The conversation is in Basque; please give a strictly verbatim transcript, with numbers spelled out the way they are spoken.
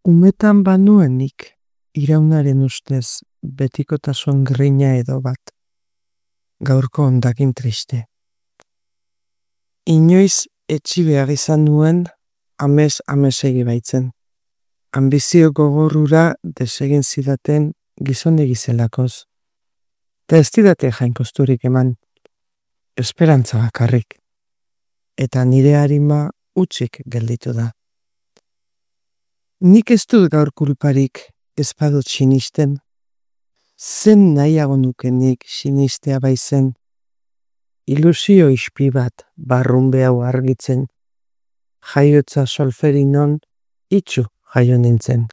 Umetan banuenik, iraunaren ustez betikotasun grina edo bat. Gaurko hondakin triste. Inoiz etxi behar izan nuen amez amesegi baitzen. Ambizio gogorrura desegin zidaten gizonegi zelakoz. Ta ez didate jainkosturik eman. Esperantza bakarrik. Eta nire harima utzik gelditu da. Nik ez dut gaur kulparik ez badut sinisten. Zen nahiago nukenik sinistea baizen. Ilusio ispi bat barrunbe hau argitzen. Jaiotza solferinon itxu jaio nintzen.